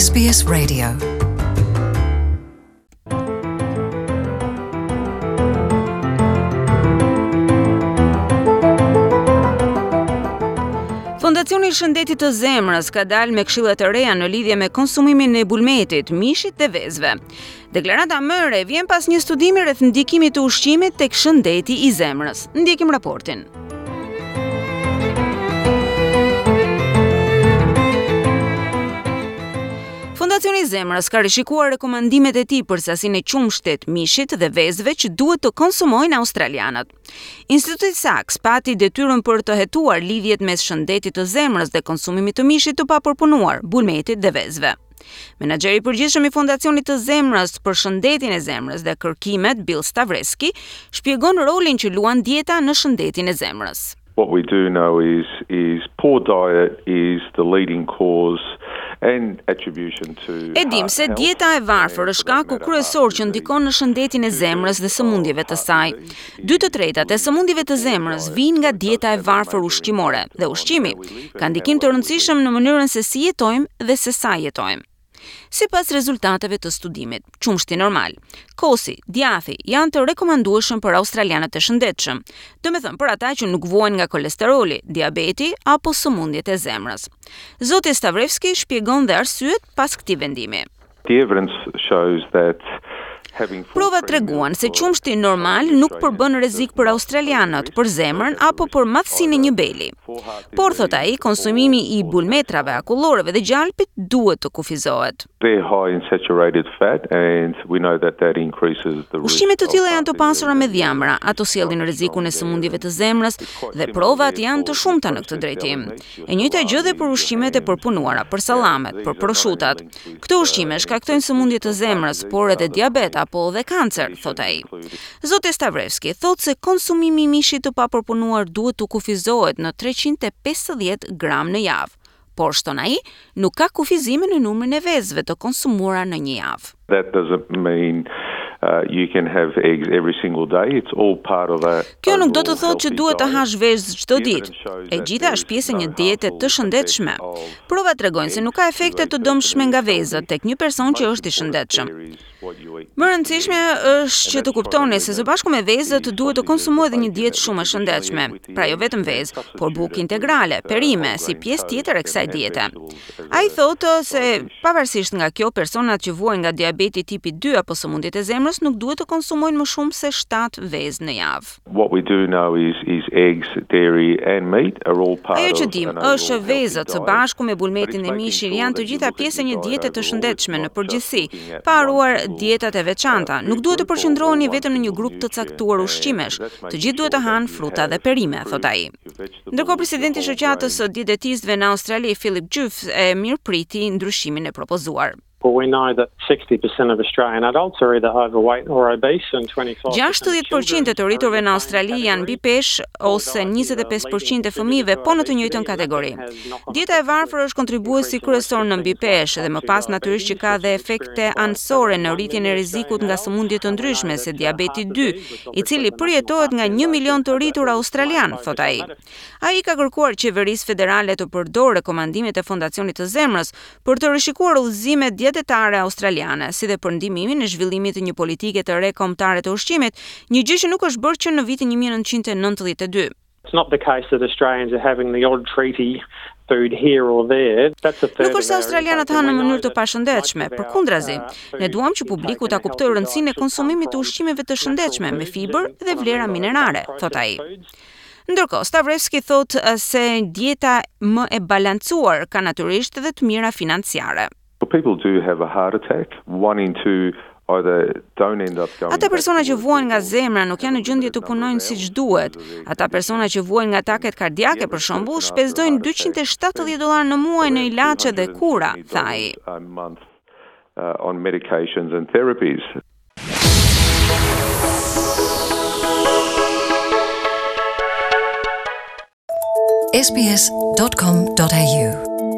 SBS Radio. Fondacioni i Shëndetit të Zemrës ka dalë me këshilla të reja në lidhje me konsumimin e bulmetit, mishit dhe vezëve. Deklarata më e re vjen pas një studimi rreth ndikimit të ushqimit tek shëndeti i zemrës. Ndjekim raportin. Fondacioni i Zemrës ka rishikuar rekomandimet e tij për sasinë e qumështit, mishit dhe vezëve që duhet të konsumojnë australianët. Instituti Sachs pati detyrën për të hetuar lidhjet mes shëndetit të zemrës dhe konsumimit të mishit të papërpunuar, bulmetit dhe vezëve. Menaxheri i përgjithshëm i Fondacionit të Zemrës për shëndetin e zemrës dhe kërkimet, Bill Stavreski, shpjegon rolin që luan dieta në shëndetin e zemrës. What we do know is is poor diet is the leading cause and attribution to E dimë se dieta e varfër është shkaku kryesor që ndikon në shëndetin e zemrës dhe sëmundjeve të saj. Dy të tretat e sëmundjeve të zemrës vijnë nga dieta e varfër ushqimore dhe ushqimi ka ndikim të rëndësishëm në mënyrën se si jetojmë dhe se sa jetojmë. Sipas rezultateve të studimit, qumështi normal, kosi, djathi janë të rekomandueshëm për australianët e shëndetshëm, domethënë për ata që nuk vuajnë nga kolesteroli, diabeti apo sëmundjet e zemrës. Zoti Stavrevski shpjegon dhe arsyet pas këtij vendimi. The evidence shows that having full Provat treguan se qumështi normal nuk përbën rrezik për australianët, për zemrën apo për madhësinë e një beli. Por, thotë ai, konsumimi i bulmetrave, akulloreve dhe gjalpit duhet të kufizohet. They're high in saturated fat and we know that that increases the risk. Ushqime të tilla janë të pasura me dhjamra, ato sjellin rrezikun e sëmundjeve të zemrës dhe provat janë të shumta në këtë drejtim. E njëjta gjë dhe për ushqimet e përpunuara, për sallamet, për proshutat. Këto ushqime shkaktojnë sëmundje të zemrës, por edhe diabet apo dhe kancer, thotë ai. Zoti Stavrevski thotë se konsumimi i mishit të papërpunuar duhet të kufizohet në 350 gram në javë. Por, shton ai, nuk ka kufizime në numrin e vezëve të konsumuara në një javë. That doesn't mean uh, you can have eggs every single day. It's all part of a Kjo nuk do të thotë që duhet të hash vezë çdo ditë. E gjitha është pjesë e një diete të shëndetshme. Provat tregojnë se nuk ka efekte të dëmshme nga vezët tek një person që është i shëndetshëm. Më e rëndësishme është që të kuptoni se së bashku me vezët duhet të konsumohet edhe një dietë shumë e shëndetshme. Pra jo vetëm vezë, por bukë integrale, perime, si pjesë tjetër e kësaj diete. Ai thotë se pavarësisht nga kjo, personat që vuajnë nga diabeti tipi 2 apo sëmundjet e zemrës nuk duhet të konsumojnë më shumë se 7 vezë në javë. What we do know is is eggs, dairy and meat are all part Ajo që of dimë an overall është që healthy vezët së diet. bashku me But bulmetin it's dhe making mishin sure janë të that you gjitha look at pjesë e your një diet diete të overall, it's shëndetshme not në just përgjithësi, looking at pa one harruar single dietat e uh, veçanta. Nuk food duhet të group or, or përqendroheni one vetëm në një single grup të nutrient. caktuar And ushqimesh. that's Të making gjithë duhet të sure that hanë you fruta dhe have perime, fruit, thotë ai. your Ndërkohë vegetables, your presidenti i whole shoqatës grains. së dietetistëve në Australi, Philip Juff, e mirëpriti ndryshimin e propozuar. Well, we know that 60% of Australian adults are either overweight or obese and 25% of 60% e të children are in rriturve the në same Australi janë mbi category. peshë Poor ose diet is a leading 25% e contributor fëmijëve to po në të obesity njëjtën and that kategori. has knock-on Dieta e effects varfër with është kontribuesi increasing risk kryesor of në things like mbipeshë dhe type më 2 pas natyrisht që diabetes, ka which dhe is efekte experienced by anësore over në 1 rritjen e million rrezikut Australian nga adults. sëmundje të And we know ndryshme se that uh, diabeti heart 2, disease, which i obviously cili the National përjetohet Heart nga 1 Foundation milion të has a rritur main australian, focus thot on ai. that. Ai ka kërkuar qeverisë federale të përdorë rekomandimet e Fondacionit të Zemrës për të rishikuar udhëzimet dietetare australiane, si dhe për ndihmimin e zhvillimit të një politike të re kombëtare të ushqimit, një gjë që nuk është bërë që në vitin 1992. It's not the case that Australians are having the odd treaty food here or there. That's a third Nuk of është se our australianët intake, and hanë në we know mënyrë të that most pashëndetshme, of our përkundrazi, uh, ne food duam që intake publiku in ta a kuptojë healthy diet rëndësinë e should come konsumimit të from ushqimeve të natural shëndetshme me foods, fibër and dhe what I vlera mean by that, minerale, thot unprocessed ai. foods. Ndërkohë, Stavrevski thotë eh, se dieta më e balancuar ka natyrisht edhe të mira financiare. Well, people do have a heart attack. One in two either don't end up going Ata back to persona që work vuajnë nga or zemra nuk have janë a në gjendje limited të number of punojnë hours siç because duhet. of their Ata persona condition. që vuajnë nga And ataket the kardiake, për average shembull, person after a shpenzojnë heart attack 270 spends dollar në muaj në around ilaçe dhe kura, tha ai. $270 a month uh, on medications and therapies. sbs.com.au.